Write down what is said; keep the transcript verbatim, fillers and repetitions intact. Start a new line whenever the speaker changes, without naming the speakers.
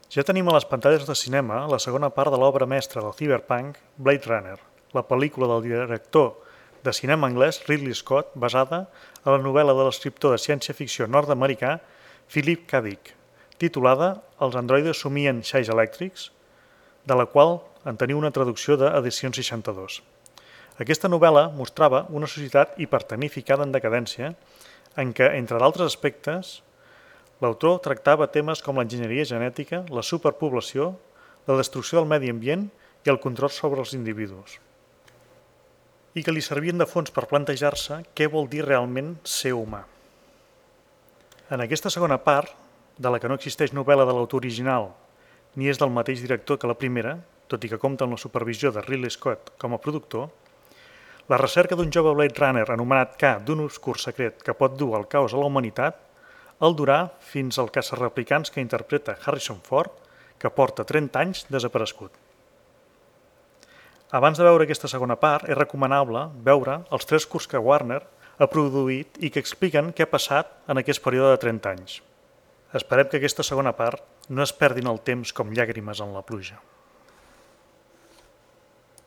Ja tenim a les pantalles de cinema la segona part de l'obra mestra del cyberpunk, Blade Runner, la pel·lícula del director de cinema anglès Ridley Scott basada a la novel·la de l'escriptor de ciència-ficció nord-americà Philip K. Dick, titulada Els androides somien xais elèctrics, de la qual en teniu una traducció d'Edicions seixanta-dos. Aquesta novel·la mostrava una societat hipertecnificada en decadència en què, entre d'altres aspectes, l'autor tractava temes com l'enginyeria genètica, la superpoblació, la destrucció del medi ambient i el control sobre els individus, i que li servien de fons per plantejar-se què vol dir realment ser humà. En aquesta segona part, de la que no existeix novel·la de l'autor original ni és del mateix director que la primera, tot i que compta amb la supervisió de Ridley Scott com a productor, la recerca d'un jove Blade Runner anomenat K d'un obscur secret que pot dur el caos a la humanitat el durà fins al caçarreplicants que interpreta Harrison Ford, que porta trenta anys desaparegut. Abans de veure aquesta segona part, és recomanable veure els tres curts que Warner ha produït i que expliquen què ha passat en aquest període de trenta anys. Esperem que aquesta segona part no es perdin el temps com llàgrimes en la pluja.